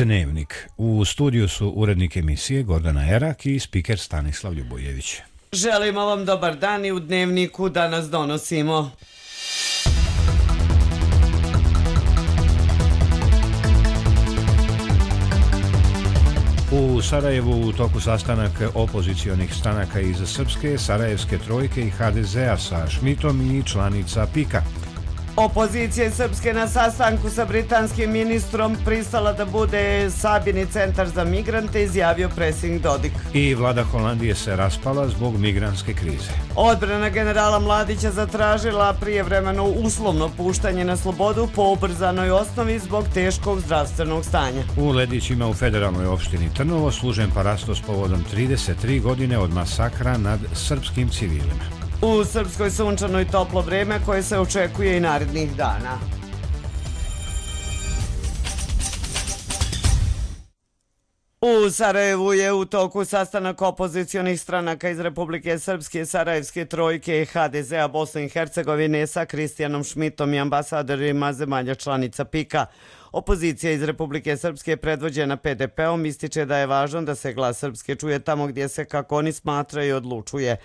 Dnevnik. U studiju su urednik emisije Gordana Erak i spiker Stanislav Ljubojević. Želimo vam dobar dan i u Dnevniku danas donosimo. U Sarajevu u toku sastanak opozicionih stranaka iz Srpske, Sarajevske trojke i HDZ-a sa Šmitom i članica PIK-a. Opozicija Srpske na sastanku sa britanskim ministrom pristala da bude sabirni centar za migrante, izjavio predsjednik Dodik. I vlada Holandije se raspala zbog migrantske krize. Odbrana generala Mladića zatražila prijevremeno uslovno puštanje na slobodu po ubrzanoj osnovi zbog teškog zdravstvenog stanja. U Ledićima u federalnoj opštini Trnovo služen parastos povodom 33 godine od masakra nad srpskim civilima. U Srpskoj sunčano i toplo vreme koje se očekuje i narednih dana. U Sarajevu je u toku sastanak opozicionih stranaka iz Republike Srpske, Sarajevske trojke i HDZ-a Bosne i Hercegovine sa Kristijanom Šmitom i ambasadorima zemalja članica PIK-a. Opozicija iz Republike Srpske predvođena PDP-om ističe da je važno da se glas Srpske čuje tamo gdje se, kako oni smatraju, i odlučuje.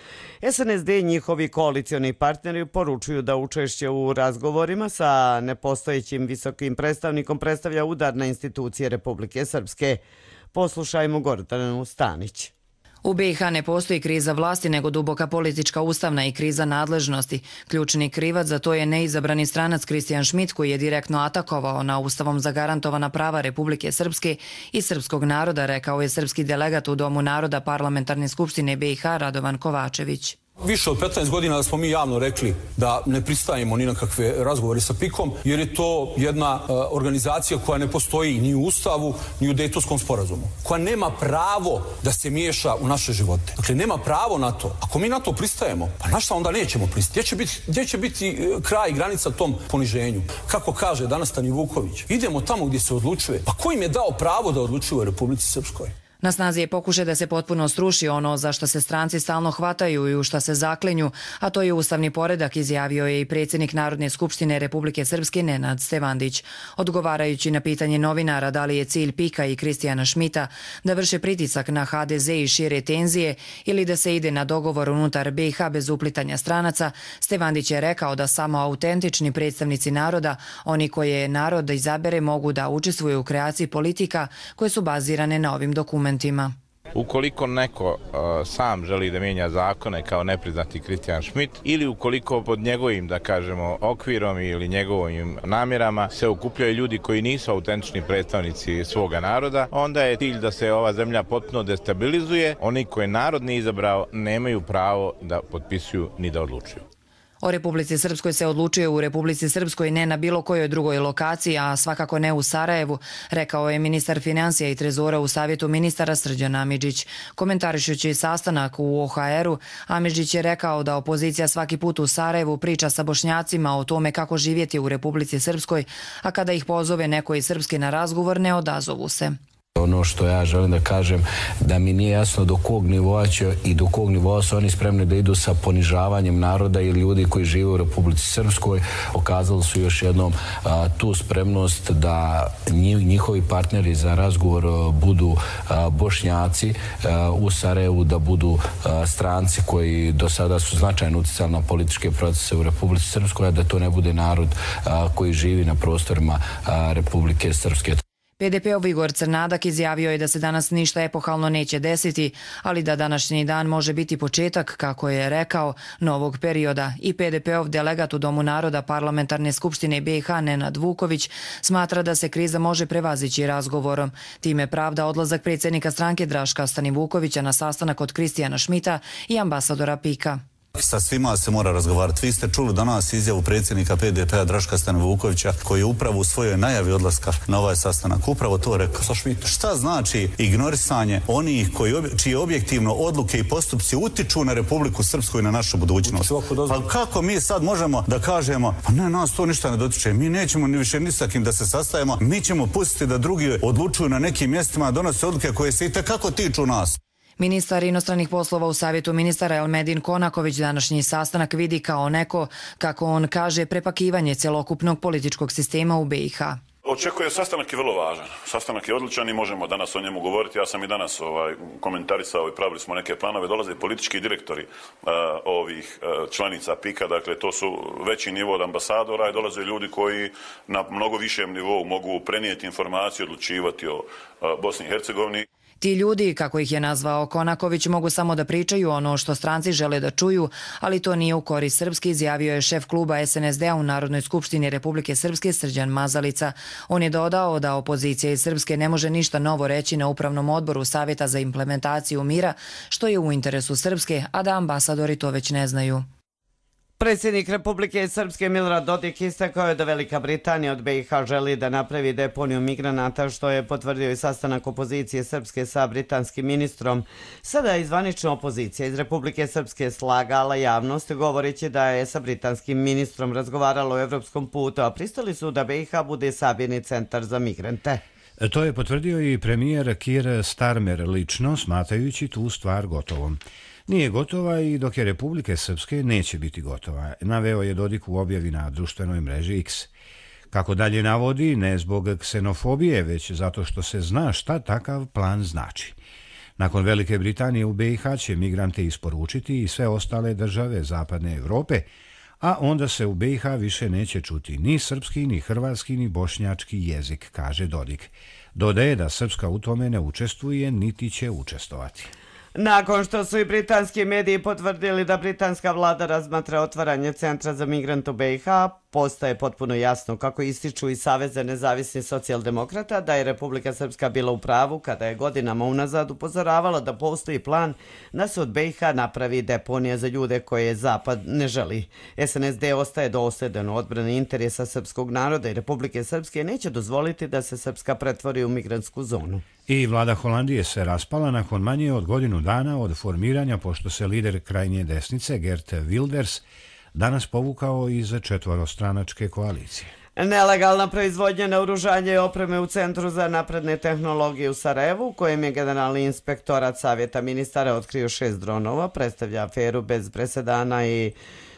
SNSD i njihovi koalicioni partneri poručuju da učešće u razgovorima sa nepostojećim visokim predstavnikom predstavlja udar na institucije Republike Srpske. Poslušajmo Gordanu Stanić. U BiH ne postoji kriza vlasti, nego duboka politička, ustavna i kriza nadležnosti. Ključni krivac za to je neizabrani stranac Kristijan Šmit, koji je direktno atakovao na ustavom zagarantovana prava Republike Srpske i srpskog naroda, rekao je srpski delegat u Domu naroda Parlamentarne skupštine BiH Radovan Kovačević. Više od 15 godina da smo mi javno rekli da ne pristajemo ni na kakve razgovore sa PIK-om, jer je to jedna organizacija koja ne postoji ni u Ustavu, ni u Dejtonskom sporazumu, koja nema pravo da se miješa u naše živote. Dakle, nema pravo na to. Ako mi na to pristajemo, pa na šta onda nećemo pristati? Gdje će biti kraj i granica tom poniženju? Kako kaže danas Stani Vuković, idemo tamo gdje se odlučuje. Pa ko im je dao pravo da odlučuju u Republici Srpskoj? Na snazi je pokušaj da se potpuno sruši ono za što se stranci stalno hvataju i u šta se zaklinju, a to je ustavni poredak, izjavio je i predsjednik Narodne skupštine Republike Srpske Nenad Stevandić. Odgovarajući na pitanje novinara da li je cilj PIK-a i Kristijana Šmita da vrše pritisak na HDZ i šire tenzije ili da se ide na dogovor unutar BiH bez uplitanja stranaca, Stevandić je rekao da samo autentični predstavnici naroda, oni koje narod izabere, mogu da učestvuju u kreaciji politika koje su bazirane na ovim dokumentima. Ukoliko neko sam želi da mijenja zakone kao nepriznati Kristijan Šmit ili ukoliko pod njegovim, da kažemo, okvirom ili njegovim namjerama se okupljaju ljudi koji nisu autentični predstavnici svoga naroda, onda je cilj da se ova zemlja potpuno destabilizuje. Oni koje narod nije izabrao nemaju pravo da potpisuju ni da odlučuju. O Republici Srpskoj se odlučuje u Republici Srpskoj, ne na bilo kojoj drugoj lokaciji, a svakako ne u Sarajevu, rekao je ministar financija i trezora u Savjetu ministara Srđan Amidžić. Komentarišući sastanak u OHR-u, Amidžić je rekao da opozicija svaki put u Sarajevu priča sa Bošnjacima o tome kako živjeti u Republici Srpskoj, a kada ih pozove neko iz Srpske na razgovor, ne odazovu se. Ono što ja želim da kažem, da mi nije jasno do kog nivoa će i do kog nivoa su oni spremni da idu sa ponižavanjem naroda i ljudi koji žive u Republici Srpskoj. Pokazali su još jednom tu spremnost da njihovi partneri za razgovor budu Bošnjaci u Sarajevu, da budu stranci koji do sada su značajno uticali na političke procese u Republici Srpskoj, a da to ne bude narod koji živi na prostorima Republike Srpske. PDP-ov Igor Crnadak izjavio je da se danas ništa epohalno neće desiti, ali da današnji dan može biti početak, kako je rekao, novog perioda. I PDP-ov delegat u Domu naroda Parlamentarne skupštine BiH Nenad Vuković smatra da se kriza može prevazići razgovorom. Time pravda odlazak predsjednika stranke Draška Stanivukovića na sastanak od Kristijana Šmita i ambasadora PIK-a. Sa svima se mora razgovarati. Vi ste čuli danas izjavu predsjednika PDP-a Draška Stanivukovića, koji je upravo u svojoj najavi odlaska na ovaj sastanak upravo to rekao. Šta znači ignorisanje onih čije objektivno odluke i postupci utiču na Republiku Srpsku i na našu budućnost? Pa kako mi sad možemo da kažemo, pa ne, nas to ništa ne dotiče, mi nećemo ni više ni sa kim da se sastajemo, mi ćemo pustiti da drugi odlučuju na nekim mjestima, donose odluke koje se itekako tiču nas. Ministar inostranih poslova u Savjetu ministara Elmedin Konaković današnji sastanak vidi kao neko, kako on kaže, prepakivanje cjelokupnog političkog sistema u BiH. Očekuje sastanak je vrlo važan. Sastanak je odličan i možemo danas o njemu govoriti. Ja sam i danas komentarisao i pravili smo neke planove. Dolaze politički direktori ovih članica PIK-a, dakle to su veći nivo od ambasadora i dolaze ljudi koji na mnogo višem nivou mogu prenijeti informaciju, odlučivati o Bosni i Hercegovini. Ti ljudi, kako ih je nazvao Konaković, mogu samo da pričaju ono što stranci žele da čuju, ali to nije u korist Srpske, izjavio je šef kluba SNSD-a u Narodnoj skupštini Republike Srpske Srđan Mazalica. On je dodao da opozicija iz Srpske ne može ništa novo reći na Upravnom odboru Savjeta za implementaciju mira, što je u interesu Srpske, a da ambasadori to već ne znaju. Predsjednik Republike Srpske Milorad Dodik istakao je da Velika Britanija od BiH želi da napravi deponiju migranata, što je potvrdio i sastanak opozicije Srpske sa britanskim ministrom. Sada je zvanična opozicija iz Republike Srpske slagala javnost govoreći da je sa britanskim ministrom razgovaralo o evropskom putu, a pristali su da BiH bude sabirni centar za migrante. To je potvrdio i premijer Keir Starmer lično, smatrajući tu stvar gotovom. Nije gotova i dok je Republike Srpske neće biti gotova, naveo je Dodik u objavi na društvenoj mreži X. Kako dalje navodi, ne zbog ksenofobije, već zato što se zna šta takav plan znači. Nakon Velike Britanije u BiH će migrante isporučiti i sve ostale države Zapadne Evrope, a onda se u BiH više neće čuti ni srpski, ni hrvatski, ni bošnjački jezik, kaže Dodik. Dodaje da Srpska u tome ne učestvuje, niti će učestvovati. Nakon što su i britanski mediji potvrdili da britanska vlada razmatra otvaranje centra za migrante u BiH, postaje potpuno jasno, kako ističu i Savez nezavisnih socijaldemokrata, da je Republika Srpska bila u pravu kada je godinama unazad upozoravala da postoji plan da se od BiH napravi deponija za ljude koje Zapad ne želi. SNSD ostaje dosljedan u odbrani interesa srpskog naroda i Republike Srpske neće dozvoliti da se Srpska pretvori u migrantsku zonu. I vlada Holandije se raspala nakon manje od godinu dana od formiranja, pošto se lider krajnje desnice Geert Wilders danas povukao iz četvorostranačke koalicije. Nelegalna proizvodnja naoružanja i opreme u Centru za napredne tehnologije u Sarajevu, u kojem je Generalni inspektorat Savjeta ministara otkrio 6 dronova, predstavlja aferu bez presedana i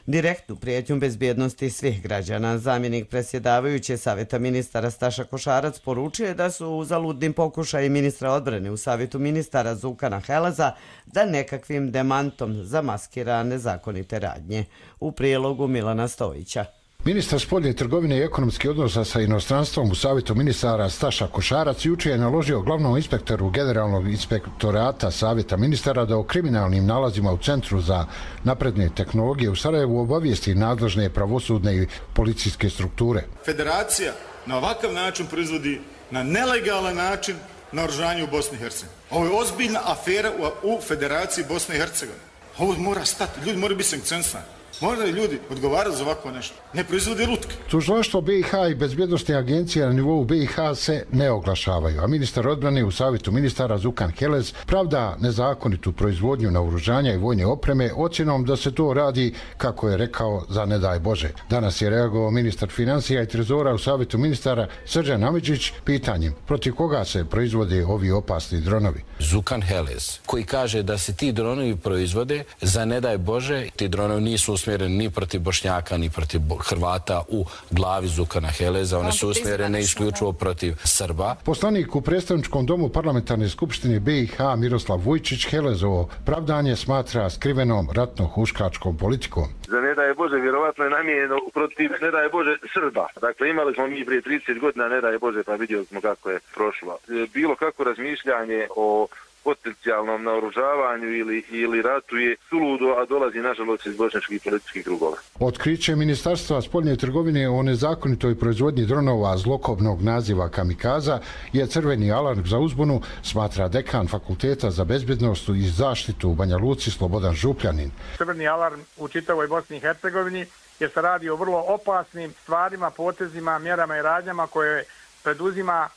direktnu prijetnju bezbjednosti svih građana. Zamjenik predsjedavajuće Savjeta ministara Staša Košarac poručuje da su uzaludni pokušaji ministra odbrane u Savjetu ministara Zukana Heleza da nekakvim demantom zamaskira nezakonite radnje. U prilogu Milana Stojića. Ministar spoljne trgovine i ekonomskih odnosa sa inostranstvom u Savjetu ministara Staša Košarac jučer je naložio glavnom inspektoru Generalnog inspektorata Savjeta ministara da o kriminalnim nalazima u Centru za napredne tehnologije u Sarajevu obavijesti nadležne pravosudne i policijske strukture. Federacija na ovakav način proizvodi na nelegalan način naoružanje u Bosni i Hercegovini. Ovo je ozbiljna afera u Federaciji Bosne i Hercegovine. Ovo mora stati, ljudi moraju biti sankcionisani. Moraju ljudi odgovarati za ovako nešto. Ne proizvode lutke. Tužilaštvo BiH i bezbjednostne agencije na nivou BiH se ne oglašavaju, a ministar odbrane u Savjetu ministara Zukan Helez pravda nezakonitu proizvodnju naoružanja i vojne opreme ocjenom da se to radi, kako je rekao, za ne daj Bože. Danas je reagovao ministar financija i trezora u Savjetu ministara Srđan Amidžić pitanjem protiv koga se proizvode ovi opasni dronovi. Zukan Helez, koji kaže da se ti dronovi proizvode za ne daj Bože, ti dronovi nisu usmjereni ni protiv Bošnjaka, ni protiv Hrvata u glavi Zukana Heleza, one su usmjerene isključivo protiv Srba. Poslanik u predstavničkom domu parlamentarne skupštine BiH Miroslav Vujčić Helezovo pravdanje smatra skrivenom ratno-huškačkom politikom. Za ne daj Bože, vjerovatno je namijenjeno protiv ne daj Bože Srba. Dakle, imali smo mi prije 30 godina ne daj Bože, pa vidjeli smo kako je prošlo. Bilo kako razmišljanje o potencijalnom naoružavanju ili ratu je suludo, a dolazi nažalost iz bošnjačkih političkih krugova. Otkriće Ministarstva spoljne trgovine o nezakonitoj proizvodnji dronova zlokobnog naziva kamikaza je crveni alarm za uzbunu, smatra dekan Fakulteta za bezbjednost i zaštitu u Banja Luci Slobodan Župljanin. Crveni alarm u čitavoj Bosni i Hercegovini jer se radi o vrlo opasnim stvarima, potezima, mjerama i radnjama koje preduzima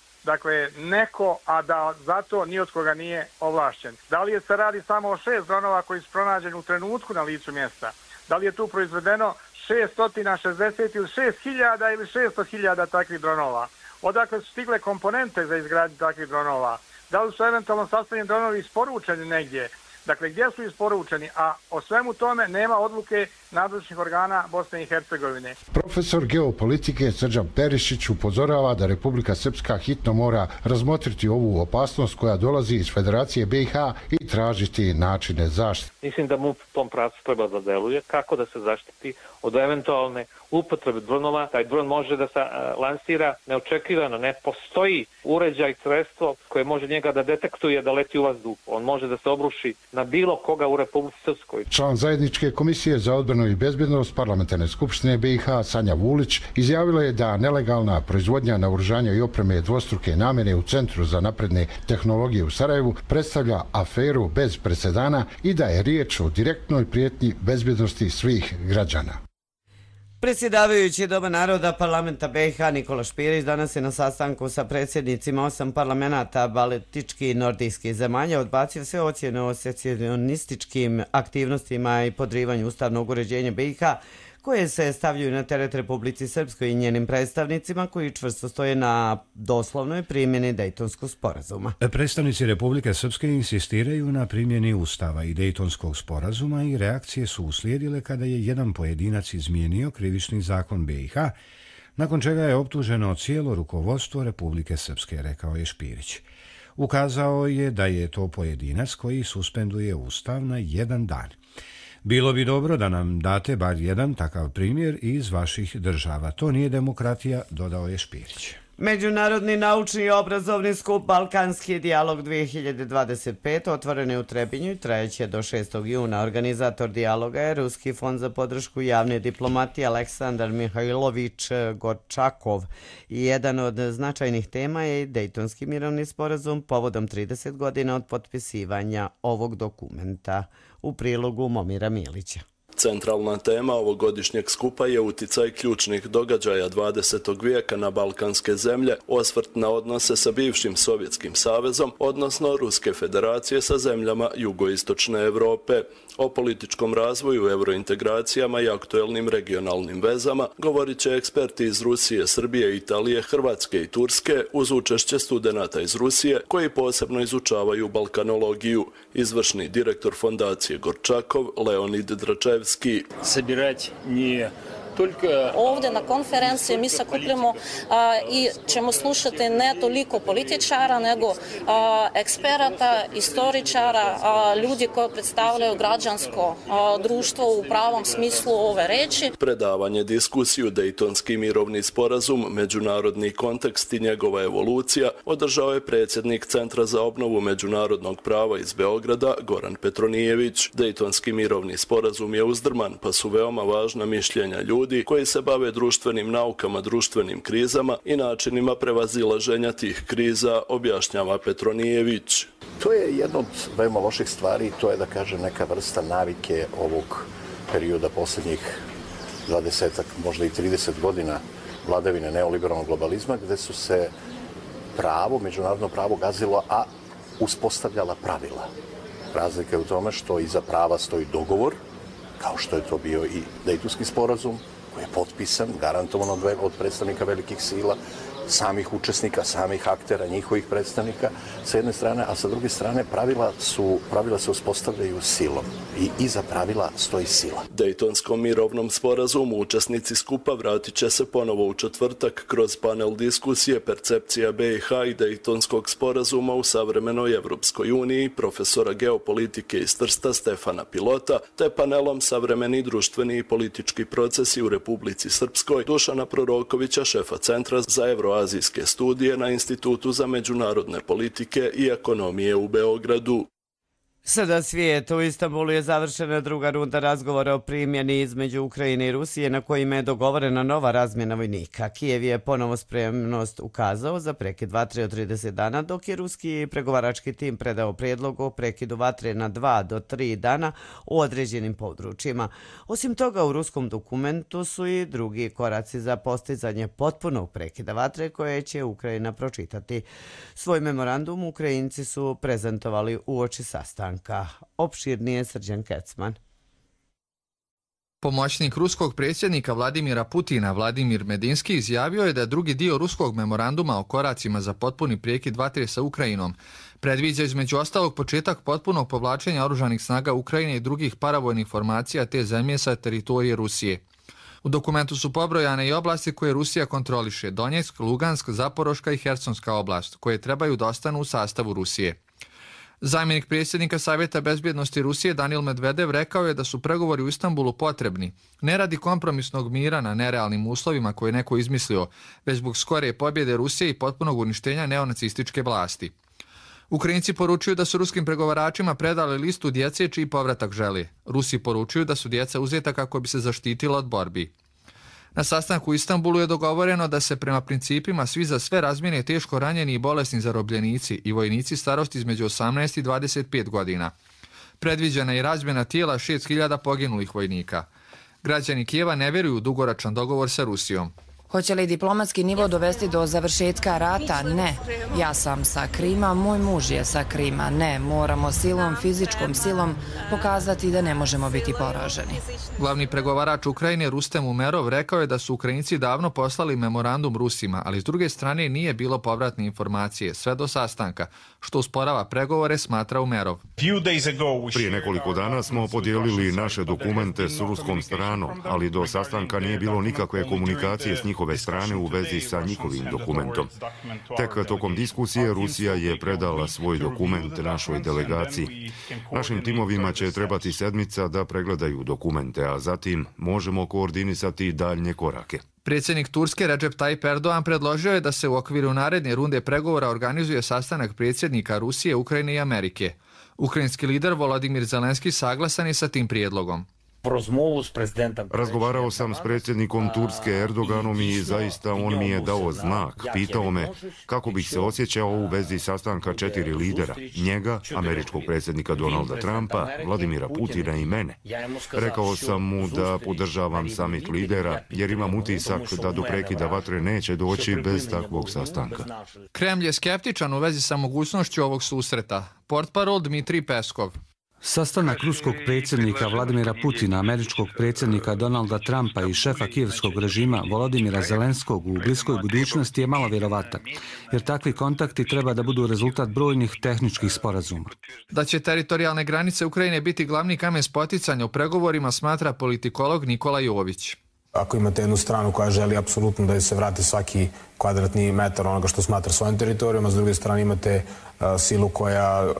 neko, a da zato ni od koga nije ovlašćen. Da li se radi samo o 6 dronova koji su pronađeni u trenutku na licu mjesta? Da li je tu proizvedeno 660 ili 6.000 ili 600.000 takvih dronova? Odakle su stigle komponente za izgradnju takvih dronova? Da li su eventualno sastavljeni dronovi isporučeni negdje? dakle gdje su isporučeni, a o svemu tome nema odluke nadležnih organa Bosne i Hercegovine. Profesor geopolitike Srđan Perišić upozorava da Republika Srpska hitno mora razmotriti ovu opasnost koja dolazi iz Federacije BiH i tražiti načine zaštite. Mislim da MUP u tom pravcu treba da deluje, kako da se zaštiti od eventualne upotrebe dronova. Taj dron može da se lansira neočekivano, ne postoji uređaj, sredstvo koje može njega da detektuje da leti u vazduh. On može da se obruši na bilo koga u Republici Srpskoj. Član Zajedničke komisije za odbranu i bezbednost Parlamentarne skupštine BiH Sanja Vulić izjavila je da nelegalna proizvodnja naoružanja i opreme dvostruke namjene u Centru za napredne tehnologije u Sarajevu predstavlja aferu bez presedana i da je riječ o direktnoj prijetnji bezbednosti svih građana. Predsjedavajući Doma naroda parlamenta BiH Nikola Špirić danas je na sastanku sa predsjednicima 8 parlamenata baltičkih i nordijskih zemalja odbacio sve ocjene o secesionističkim aktivnostima i podrivanju ustavnog uređenja BiH koje se stavljaju na teret Republici Srpskoj i njenim predstavnicima koji čvrsto stoje na doslovnoj primjeni Dejtonskog sporazuma. Predstavnici Republike Srpske insistiraju na primjeni Ustava i Dejtonskog sporazuma i reakcije su uslijedile kada je jedan pojedinac izmijenio krivični zakon BiH, nakon čega je optuženo cijelo rukovodstvo Republike Srpske, rekao je Špirić. Ukazao je da je to pojedinac koji suspenduje Ustav na jedan dan. Bilo bi dobro da nam date bar jedan takav primjer iz vaših država. To nije demokratija, dodao je Špirić. Međunarodni naučni i obrazovni skup Balkanski dijalog 2025 otvoren je u Trebinju i trajeće do 6. juna. Organizator dijaloga je Ruski fond za podršku javne diplomatije Aleksandar Mihajlović Gorčakov. I jedan od značajnih tema je Dejtonski mirovni sporazum povodom 30 godina od potpisivanja ovog dokumenta. U prilogu Momira Milića. Centralna tema ovogodišnjeg skupa je uticaj ključnih događaja 20. vijeka na balkanske zemlje, osvrt na odnose sa bivšim Sovjetskim savezom, odnosno Ruske federacije sa zemljama jugoistočne Europe. O političkom razvoju, eurointegracijama i aktuelnim regionalnim vezama govorit će eksperti iz Rusije, Srbije, Italije, Hrvatske i Turske uz učešće studenata iz Rusije koji posebno izučavaju balkanologiju. Izvršni direktor fondacije Gorčakov Leonid Dračevski. Sabirati nije Ovdje na konferenciji mi sakupljamo i ćemo slušati ne toliko političara, nego eksperata, istoričara, ljudi koji predstavljaju građansko društvo u pravom smislu ove reči. Predavanje, diskusiju, Dejtonski mirovni sporazum, međunarodni kontekst i njegova evolucija održao je predsjednik Centra za obnovu međunarodnog prava iz Beograda Goran Petronijević. Dejtonski mirovni sporazum je uzdrman, pa su veoma važna mišljenja ljudi koji se bave društvenim naukama, društvenim krizama i načinima prevazilaženja tih kriza, objašnjava Petronijević. To je jedna od veoma loših stvari, to je da kažem neka vrsta navike ovog perioda posljednjih 20, možda i 30 godina vladavine neoliberalnog globalizma, gde su se pravo, međunarodno pravo gazilo, a uspostavljala pravila. Razlika je u tome što iza prava stoji dogovor, kao što je to bio i Dejtonski sporazum, koji je potpisan, garantovan od predstavnika velikih sila, samih učesnika, samih aktera, njihovih predstavnika, sa jedne strane, a sa druge strane pravila se uspostavljaju silom i iza pravila stoji sila. Dejtonskom mirovnom sporazumu učesnici skupa vratit će se ponovo u četvrtak kroz panel diskusije Percepcija BiH i Dejtonskog sporazuma u savremenoj Evropskoj uniji profesora geopolitike iz Trsta Stefana Pilota, te panelom Savremeni društveni i politički procesi u Republici Srpskoj Dušana Prorokovića, šefa Centra za evroazijske studije na Institutu za međunarodne politike i ekonomije u Beogradu. Sada svijet. U Istanbulu je završena druga runda razgovora o primjeni između Ukrajine i Rusije na kojima je dogovorena nova razmjena vojnika. Kijev je ponovo spremnost ukazao za prekid vatre od 30 dana, dok je ruski pregovarački tim predao prijedlog o prekidu vatre na 2 do 3 dana u određenim područjima. Osim toga, u ruskom dokumentu su i drugi koraci za postizanje potpunog prekida vatre koje će Ukrajina pročitati. Svoj memorandum Ukrajinci su prezentovali uoči sastanka. Opširnije Srđan Kecman. Pomoćnik ruskog predsjednika Vladimira Putina, Vladimir Medinski, izjavio je da drugi dio ruskog memoranduma o koracima za potpuni prekid vatre sa Ukrajinom predviđa između ostalog početak potpunog povlačenja oružanih snaga Ukrajine i drugih paravojnih formacija te zemlje sa teritorije Rusije. U dokumentu su pobrojane i oblasti koje Rusija kontroliše: Donjeck, Lugansk, Zaporoška i Hersonska oblast, koje trebaju da ostanu u sastavu Rusije. Zamjenik predsjednika Savjeta bezbjednosti Rusije Danil Medvedev rekao je da su pregovori u Istanbulu potrebni, ne radi kompromisnog mira na nerealnim uslovima koje je neko izmislio, već zbog skore pobjede Rusije i potpunog uništenja neonacističke vlasti. Ukrajinci poručuju da su ruskim pregovaračima predali listu djece čiji povratak žele. Rusi poručuju da su djeca uzeta kako bi se zaštitila od borbi. Na sastanku u Istanbulu je dogovoreno da se prema principima svi za sve razmijene teško ranjeni i bolesni zarobljenici i vojnici starosti između 18 i 25 godina. Predviđena je i razmjena tijela 6.000 poginulih vojnika. Građani Kijeva ne vjeruju u dugoročan dogovor sa Rusijom. Hoće li diplomatski nivo dovesti do završetka rata? Ne. Ja sam sa Krima, moj muž je sa Krima. Ne, moramo silom, fizičkom silom pokazati da ne možemo biti poraženi. Glavni pregovarač Ukrajine Rustem Umerov rekao je da su Ukrajinci davno poslali memorandum Rusima, ali s druge strane nije bilo povratne informacije sve do sastanka, što usporava pregovore, smatra Umerov. Prije nekoliko dana smo podijelili naše dokumente s ruskom stranom, ali do sastanka nije bilo nikakve komunikacije s njihove strane u vezi sa njihovim dokumentom. Tek tokom diskusije Rusija je predala svoj dokument našoj delegaciji. Našim timovima će trebati sedmica da pregledaju dokumente, a zatim možemo koordinisati daljnje korake. Predsjednik Turske Recep Tayyip Erdogan predložio je da se u okviru naredne runde pregovora organizuje sastanak predsjednika Rusije, Ukrajine i Amerike. Ukrajinski lider Volodymyr Zelenski saglasan je sa tim prijedlogom. Razgovarao sam s predsjednikom Turske Erdoganom i zaista on mi je dao znak. Pitao me kako bih se osjećao u vezi sastanka 4 lidera, njega, američkog predsjednika Donalda Trumpa, Vladimira Putina i mene. Rekao sam mu da podržavam samit lidera jer imam utisak da do prekida vatre neće doći bez takvog sastanka. Kremlj je skeptičan u vezi sa mogućnošću ovog susreta. Portparol Dmitrij Peskov. Sastanak ruskog predsjednika Vladimira Putina, američkog predsjednika Donalda Trumpa i šefa kijevskog režima Volodymyra Zelenskog u bliskoj budućnosti je malo vjerovatan, jer takvi kontakti treba da budu rezultat brojnih tehničkih sporazuma. Da će teritorijalne granice Ukrajine biti glavni kamen spoticanja u pregovorima, smatra politikolog Nikola Jović. Ako imate jednu stranu koja želi apsolutno da se vrati svaki kvadratni metar onoga što smatra svojim teritorijom, a s druge strane imate silu koja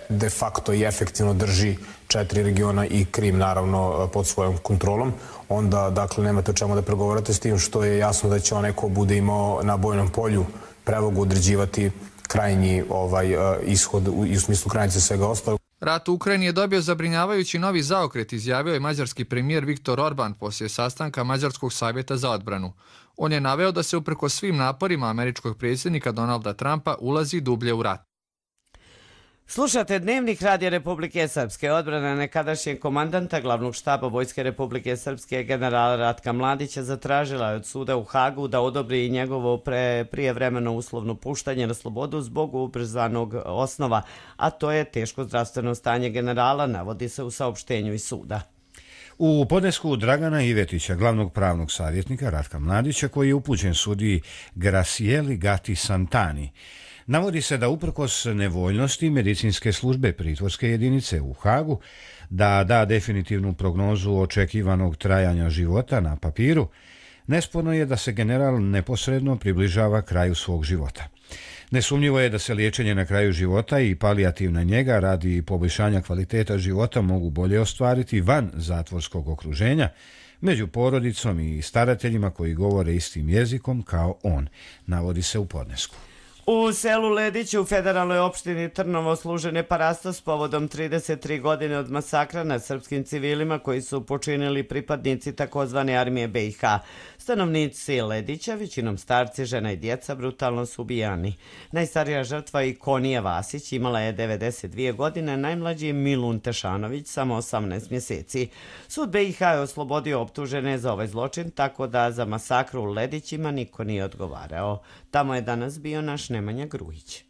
de facto i efektivno drži 4 regiona i Krim naravno pod svojom kontrolom, onda dakle nemate o čemu da pregovarate, s tim što je jasno da će onaj ko bude imao na bojnom polju prevagu određivati krajnji ishod i u smislu granice svega ostalog. Rat u Ukrajini je dobio zabrinjavajući novi zaokret, izjavio je mađarski premijer Viktor Orban poslije sastanka Mađarskog savjeta za odbranu. On je naveo da se uprkos svim naporima američkog predsjednika Donalda Trumpa ulazi dublje u rat. Slušate Dnevnik Radija Republike Srpske. Odbrana nekadašnjeg komandanta glavnog štaba Vojske Republike Srpske generala Ratka Mladića zatražila je od suda u Hagu da odobri njegovo prijevremeno uslovno puštanje na slobodu zbog ubrzanog osnova, a to je teško zdravstveno stanje generala, navodi se u saopštenju iz suda. U podnesku Dragana Ivetića, glavnog pravnog savjetnika Ratka Mladića, koji je upućen sudiji Gracieli Gatti Santani, navodi se da uprkos nevoljnosti medicinske službe pritvorske jedinice u Hagu da da definitivnu prognozu očekivanog trajanja života na papiru, nesporno je da se general neposredno približava kraju svog života. Nesumnjivo je da se liječenje na kraju života i palijativna njega radi poboljšanja kvaliteta života mogu bolje ostvariti van zatvorskog okruženja, među porodicom i starateljima koji govore istim jezikom kao on, navodi se u podnesku. U selu Lediću u federalnoj opštini Trnovo služen je parastos povodom 33 godine od masakra nad srpskim civilima koji su počinili pripadnici takozvane armije BiH. Stanovnici Ledića, većinom starci, žena i djeca, brutalno su ubijani. Najstarija žrtva Ikonija Vasić imala je 92 godine, najmlađi Milun Tešanović samo 18 mjeseci. Sud BiH je oslobodio optužene za ovaj zločin, tako da za masakru u Ledićima niko nije odgovarao. Tamo je danas bio naš Nemanja Grujić.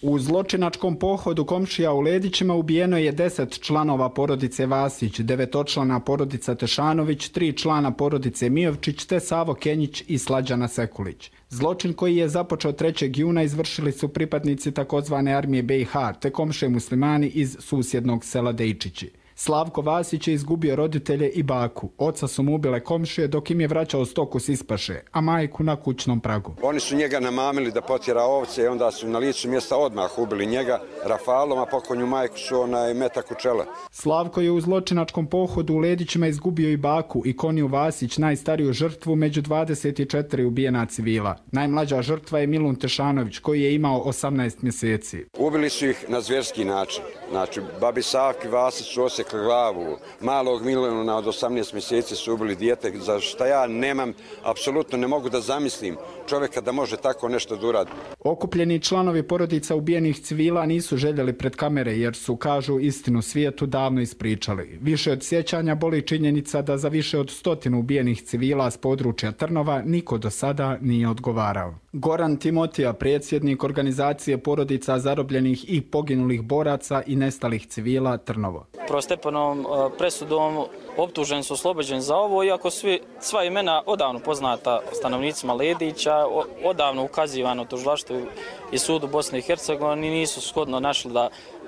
U zločinačkom pohodu komšija u Ledićima ubijeno je 10 članova porodice Vasić, 9-člana porodica Tešanović, 3 člana porodice Mijovčić te Savo Kenjić i Slađana Sekulić. Zločin koji je započeo 3. juna izvršili su pripadnici takozvane armije BiH te komšije muslimani iz susjednog sela Dejčići. Slavko Vasić je izgubio roditelje i baku. Oca su mu ubile komšije dok im je vraćao stoku s ispaše, a majku na kućnom pragu. Oni su njega namamili da potjera ovce i onda su na licu mjesta odmah ubili njega rafalom, a pokonju majku su metak u čela. Slavko je u zločinačkom pohodu u Ledićima izgubio i baku i Koniju Vasić, najstariju žrtvu među 24 ubijena civila. Najmlađa žrtva je Milun Tešanović koji je imao 18 mjeseci. Ubili su ih na zvjerski način. Znači, babi Savki Vasić su osekli glavu, malog Miluna od 18 mjeseci su ubili dijete, za šta ja nemam, apsolutno ne mogu da zamislim čovjeka da može tako nešto da uradi. Okupljeni članovi porodica ubijenih civila nisu željeli pred kamere jer su, kažu, istinu svijetu davno ispričali. Više od sjećanja boli činjenica da za više od 100 ubijenih civila s područja Trnova niko do sada nije odgovarao. Goran Timotija, predsjednik organizacije porodica zarobljenih i poginulih boraca i nestalih civila Trnovo. Prvostepenom presudom optuženi su oslobođeni za ovo, iako sva imena odavno poznata stanovnicima Ledića, odavno ukazivano tužilaštvu i sudu Bosne i Hercegovine, nisu shodno našli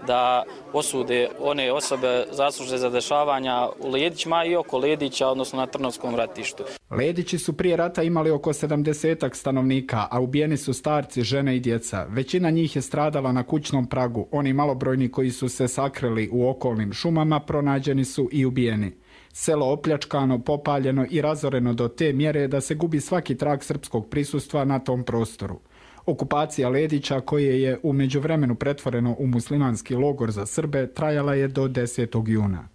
da osude one osobe zaslužne za dešavanja u Ledićima i oko Ledića, odnosno na Trnovskom ratištu. Ledići su prije rata imali oko 70 stanovnika, a ubijeni su starci, žene i djeca. Većina njih je stradala na kućnom pragu. Oni malobrojni koji su se sakrili u okolnim šumama pronađeni su i ubijeni. Selo opljačkano, popaljeno i razoreno do te mjere da se gubi svaki trag srpskog prisustva na tom prostoru. Okupacija Ledića, koje je u međuvremenu pretvoreno u muslimanski logor za Srbe, trajala je do 10. juna.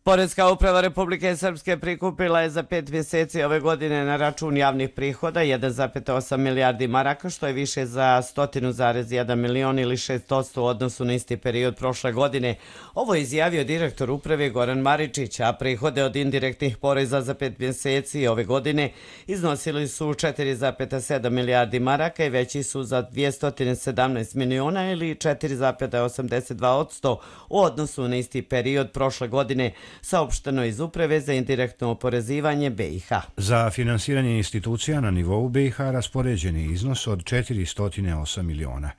Poreska uprava Republike Srpske prikupila je za 5 mjeseci ove godine na račun javnih prihoda 1,8 milijardi maraka, što je više za 100,1 milion ili 6% u odnosu na isti period prošle godine. Ovo je izjavio direktor uprave Goran Maričić, a prihode od indirektnih poreza za 5 mjeseci ove godine iznosili su 4,7 milijardi maraka i veći su za 217 miliona ili 4,82% u odnosu na isti period prošle godine, saopšteno iz Uprave za indirektno oporezivanje BiH. Za finansiranje institucija na nivou BiH raspoređen je iznos od 408 miliona.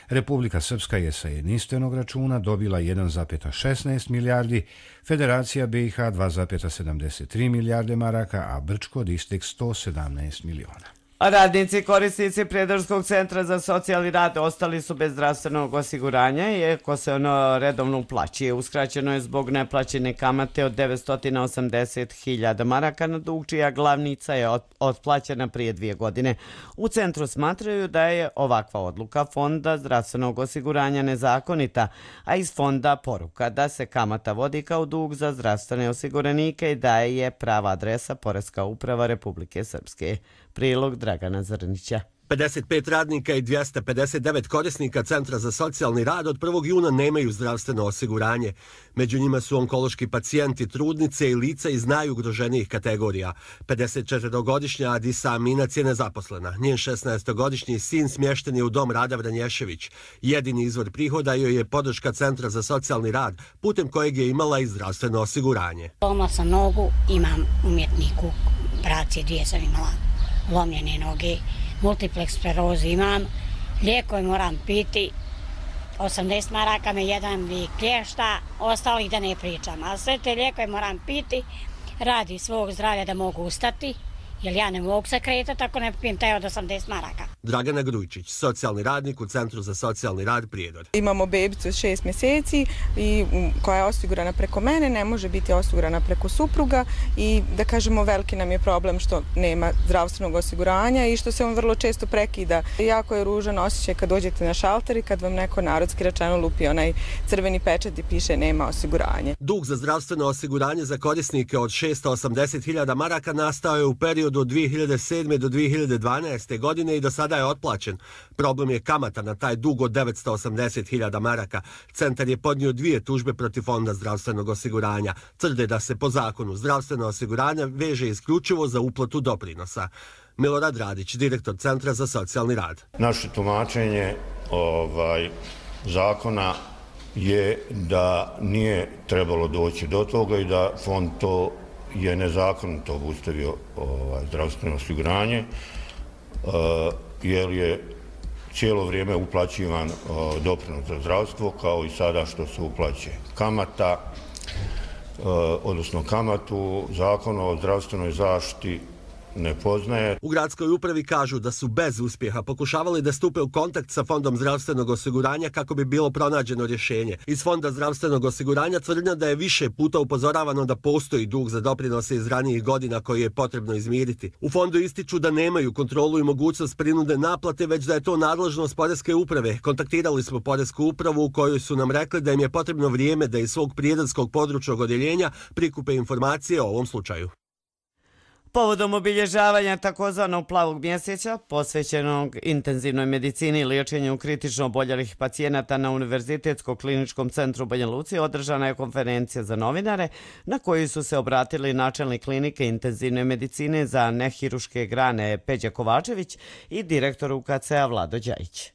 Republika Srpska je sa jedinstvenog računa dobila 1,16 milijardi, Federacija BiH 2,73 milijarde maraka, a Brčko Distek 117 miliona. Radnici korisnici Prijedorskog centra za socijalni rad ostali su bez zdravstvenog osiguranja, iako se ono redovno uplaćuje. Uskraćeno je zbog neplaćene kamate od 980.000 maraka na dug, čija glavnica je otplaćena prije 2 godine. U centru smatraju da je ovakva odluka Fonda zdravstvenog osiguranja nezakonita, a iz fonda poruka da se kamata vodi kao dug za zdravstvene osiguranike i da je prava adresa Poreska uprava Republike Srpske. Prilog Dragana Zrnića. 55 radnika i 259 korisnika Centra za socijalni rad od 1. juna nemaju zdravstveno osiguranje. Među njima su onkološki pacijenti, trudnice i lica iz najugroženijih kategorija. 54-godišnja Adisa Aminac je nezaposlena. Njen 16-godišnji sin smješten je u dom Rada Vranješević. Jedini izvor prihoda joj je podrška Centra za socijalni rad, putem kojeg je imala i zdravstveno osiguranje. Lomila sam nogu, imam umjetniku, operacije 2 sam imala, lomljene noge, multiplex sklerozu imam, lijekove moram piti, 80 maraka me jedan lijek klješta, ostalih da ne pričam, a sve te lijekove moram piti radi svog zdravlja da mogu ustati, jer ja ne mogu se kretati ako ne pijem taj od 80 maraka. Dragana Grujčić, socijalni radnik u Centru za socijalni rad Prijedor. Imamo bebicu od 6 mjeseci i koja je osigurana preko mene, ne može biti osigurana preko supruga i da kažemo veliki nam je problem što nema zdravstvenog osiguranja i što se on vrlo često prekida. Jako je ružan osjećaj kad dođete na šalter i kad vam neko narodski rečeno lupi onaj crveni pečat i piše nema osiguranje. Dug za zdravstveno osiguranje za korisnike od 680.000 maraka nastao je u periodu od 2007. do 2012. godine i do sada je otplaćen. Problem je kamata na taj dug od 980.000 maraka. Centar je podnio 2 tužbe protiv Fonda zdravstvenog osiguranja. Tvrde da se po zakonu zdravstveno osiguranje veže isključivo za uplatu doprinosa. Milorad Radić, direktor Centra za socijalni rad. Naše tumačenje zakona je da nije trebalo doći do toga i da fond to je nezakonito obustavio zdravstveno osiguranje, jer je cijelo vrijeme uplaćivan doprinos za zdravstvo, kao i sada što se uplaćuje kamata, odnosno kamatu. Zakon o zdravstvenoj zaštiti ne poznaje. U gradskoj upravi kažu da su bez uspjeha pokušavali da stupe u kontakt sa Fondom zdravstvenog osiguranja kako bi bilo pronađeno rješenje. Iz Fonda zdravstvenog osiguranja tvrdnja da je više puta upozoravano da postoji dug za doprinose iz ranijih godina koji je potrebno izmiriti. U fondu ističu da nemaju kontrolu i mogućnost prinude naplate, već da je to nadležnost Poreske uprave. Kontaktirali smo Poresku upravu u kojoj su nam rekli da im je potrebno vrijeme da iz svog prijedarskog područnog odjeljenja prikupe informacije o ovom slučaju. Povodom obilježavanja takozvanog plavog mjeseca, posvećenog intenzivnoj medicini i liječenju kritično oboljelih pacijenata na Univerzitetskom kliničkom centru u Banja Luci, održana je konferencija za novinare na kojoj su se obratili načelnik klinike intenzivne medicine za nehiruške grane Peđa Kovačević i direktor UKC-a Vlado Đajić.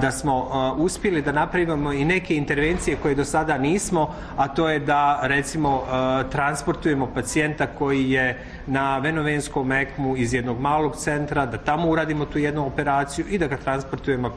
Da smo uspjeli da napravimo i neke intervencije koje do sada nismo, a to je da recimo transportujemo pacijenta koji je na venovenskom ECMO iz jednog malog centra, da tamo uradimo tu jednu operaciju i da ga transportujemo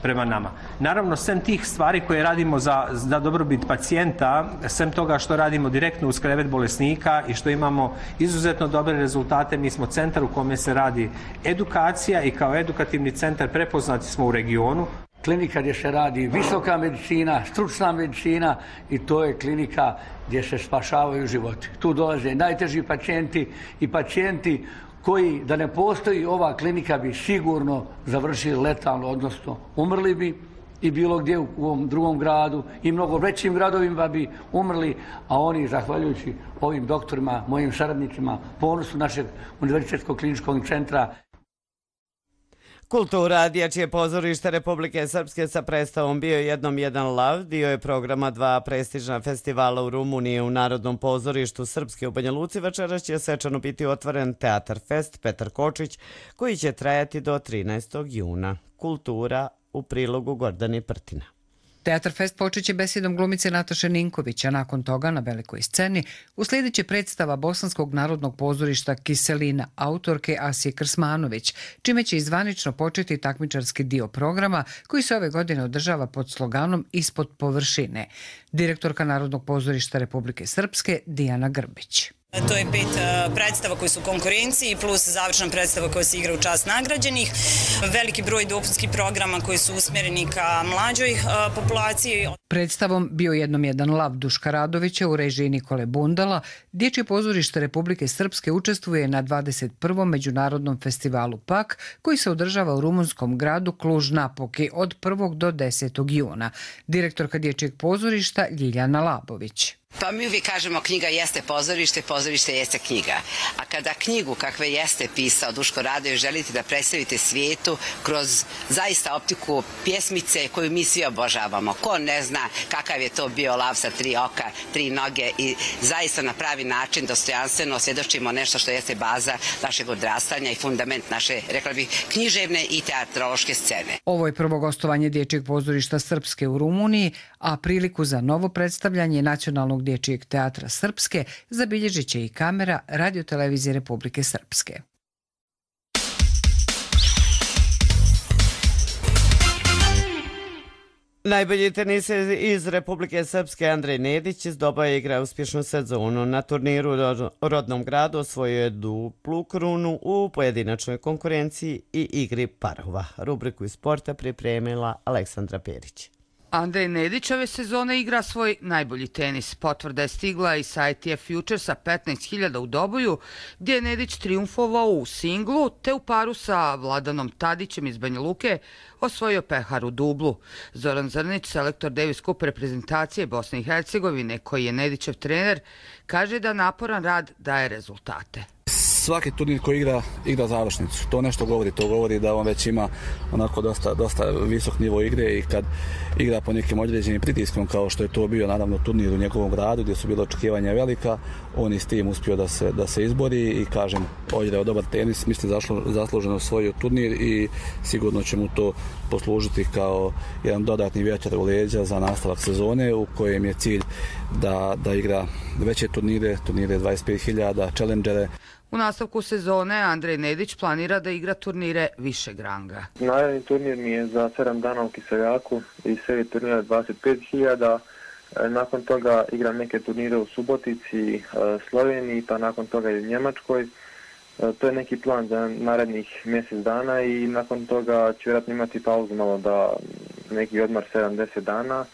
prema nama. Naravno, sem tih stvari koje radimo za dobrobit pacijenta, sem toga što radimo direktno uz krevet bolesnika i što imamo izuzetno dobre rezultate, mi smo centar u kome se radi edukacija i kao edukativni centar prepoznati smo u regionu. Klinika gdje se radi visoka medicina, stručna medicina i to je klinika gdje se spašavaju životi. Tu dolaze najteži pacijenti i pacijenti koji, da ne postoji ova klinika, bi sigurno završili letalno, odnosno umrli bi i bilo gdje u ovom drugom gradu i mnogo većim gradovima bi umrli, a oni, zahvaljujući ovim doktorima, mojim saradnicima, ponosu našeg Univerzitetskog kliničkog centra. Kultura, dječje pozorište Republike Srpske sa predstavom Bio jednom jedan lav dio je programa dva prestižna festivala u Rumuniji. U Narodnom pozorištu Srpske u Banja Luci večeras će svečano biti otvoren Teatar Fest Petar Kočić, koji će trajati do 13. juna. Kultura u prilogu Gordani Prtina. Teatar Fest počeće besedom glumice Nataše Ninković, a nakon toga na velikoj sceni uslijedit će predstava Bosanskog narodnog pozorišta Kiselina, autorke Asije Krsmanović, čime će izvanično početi takmičarski dio programa koji se ove godine održava pod sloganom Ispod površine. Direktorka Narodnog pozorišta Republike Srpske Dijana Grbić. To je 5 predstava koji su u konkurenciji plus završna predstava koja se igra u čast nagrađenih. Veliki broj dopunskih programa koji su usmjereni ka mlađoj populaciji. Predstavom Bio jednom jedan lav Duška Radovića u režiji Nikole Bundala, Dječje pozorište Republike Srpske učestvuje na 21. međunarodnom festivalu PAK koji se održava u rumunskom gradu Cluj-Napoki od 1. do 10. juna. Direktorka Dječjeg pozorišta Ljiljana Labović. Pa mi uvijek kažemo knjiga jeste pozorište, pozorište jeste knjiga. A kada knjigu kakve jeste pisao Duško Radović želite da predstavite svijetu kroz zaista optiku pjesmice koju mi svi obožavamo. Ko ne zna kakav je to bio lav sa 3 oka, 3 noge i zaista na pravi način dostojanstveno svjedočimo nešto što jeste baza našeg odrastanja i fundament naše, rekla bih, književne i teatrološke scene. Ovo je prvo gostovanje Dječjeg pozorišta Srpske u Rumuniji, a priliku za novo predstavljanje Nacionalnog dječjeg teatra Srpske zabilježit će i kamera Radio-televizije Republike Srpske. Najbolji teniser iz Republike Srpske Andrej Nedić izdobao je igra uspješnu sezonu. Na turniru u rodnom gradu osvojio je duplu krunu u pojedinačnoj konkurenciji i igri parova. Rubriku iz sporta pripremila Aleksandra Perić. Andrej Nedić ove sezone igra svoj najbolji tenis. Potvrda je stigla i sa ITF Futuresa 15.000 u Doboju, gdje je Nedić triumfovao u singlu, te u paru sa Vladanom Tadićem iz Banja Luke osvojio pehar u dublu. Zoran Zrnić, selektor Davis Cup reprezentacije Bosne i Hercegovine, koji je Nedićev trener, kaže da naporan rad daje rezultate. svaki turnir koji igra završnicu. To nešto govori. To govori da on već ima onako dosta visok nivo igre i kad igra po nekim određenim pritiskom kao što je to bio naravno turnir u njegovom gradu gdje su bila očekivanja velika, on je s tim uspio da se izbori i kažem, odigrao dobar tenis, mislim zasluženo osvojio turnir i sigurno će mu to poslužiti kao jedan dodatni vjetar u leđa za nastavak sezone u kojem je cilj da igra veće turnire 25.000, challengere. U nastavku sezone Andrej Nedić planira da igra turnire višeg ranga. Naredni turnir mi je za 7 dana u Kiseljaku i serije turnira 25.000. Nakon toga igram neke turnire u Subotici, Sloveniji, pa nakon toga i u Njemačkoj. To je neki plan za narednih mjesec dana i nakon toga ću vjerojatno imati pauzu malo da neki odmar 7-10 dana.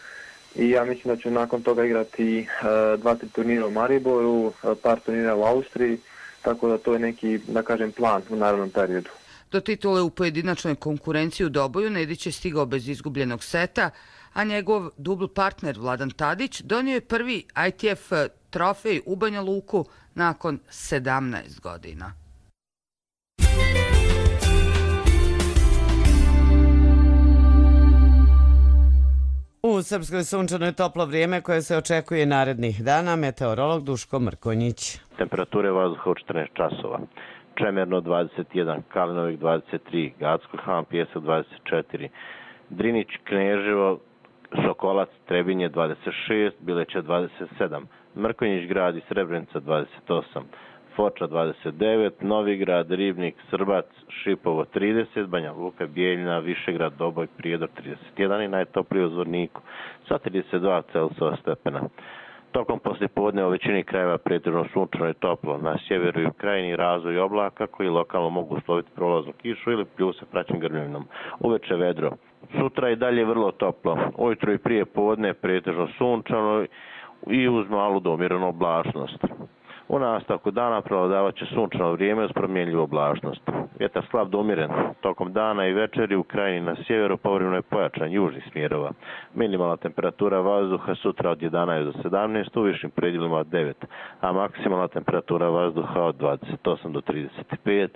I ja mislim da ću nakon toga igrati 2-3 turnira u Mariboru, par turnira u Austriji, tako da to je neki, da kažem, plan u narednom periodu. Do titule u pojedinačnoj konkurenciji u Doboju Nedić je stigao bez izgubljenog seta, a njegov dubl partner Vladan Tadić donio je prvi ITF trofej u Banja Luku nakon 17 godina. U Srpskoj sunčano je toplo vrijeme koje se očekuje narednih dana. Meteorolog Duško Mrkonjić. Temperature vazduha u 14 časova. Čemerno 21, Kalinovik 23, Gacko Han, Pjesak 24, Drinić, Kneževo, Sokolac, Trebinje 26, Bileća 27, Mrkonjić grad i Srebrenica 28, Foča 29, Novigrad, Ribnik, Srbac, Šipovo 30, Banja Luka, Bijeljina, Višegrad, Doboj, Prijedor 31 i najtopliji u Zvorniku sa 32 Celzijeva stepena. Tokom poslijepodne u većini krajeva pretežno sunčano i toplo. Na sjeveru i u krajini razvoj oblaka koji lokalno mogu usloviti prolaznu kišu ili pljuse praćen grmljivinom. Uveče vedro. Sutra i dalje vrlo toplo. Ujutro i prije podne pretežno sunčano i uz malu do umjerenu oblačnost. U nastavku dana prevladavat će sunčano vrijeme uz promjenljivu oblačnost. Vjetar slab do umjeren. Tokom dana i večeri u krajini na sjeveru povremeno je pojačan južnih smjerova. Minimalna temperatura vazduha sutra od 11 do 17, u višim predjelima od 9, a maksimalna temperatura vazduha od 28 do 35,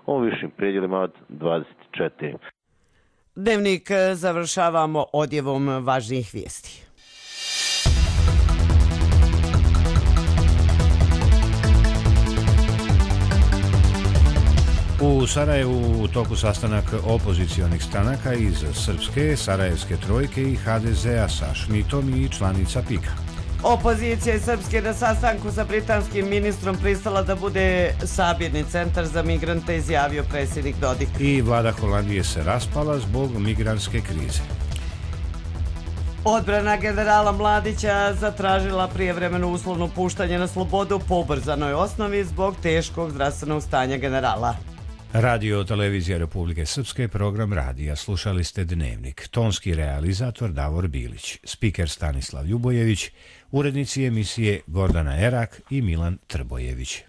u višim predjelima od 24. Dnevnik završavamo odjevom važnijih vijesti. U Sarajevu u toku sastanak opozicionih stranaka iz Srpske, Sarajevske trojke i HDZ-a sa Šmitom i članica PIK-a. Opozicija iz Srpske na sastanku sa britanskim ministrom pristala da bude sabirni centar za migrante, izjavio predsjednik Dodik. I vlada Holandije se raspala zbog migrantske krize. Odbrana generala Mladića zatražila prijevremeno uslovno puštanje na slobodu po ubrzanoj osnovi zbog teškog zdravstvenog stanja generala. Radio Televizija Republike Srpske, program radija. Slušali ste Dnevnik. Tonski realizator Davor Bilić, spiker Stanislav Ljubojević, urednici emisije Gordana Erak i Milan Trbojević.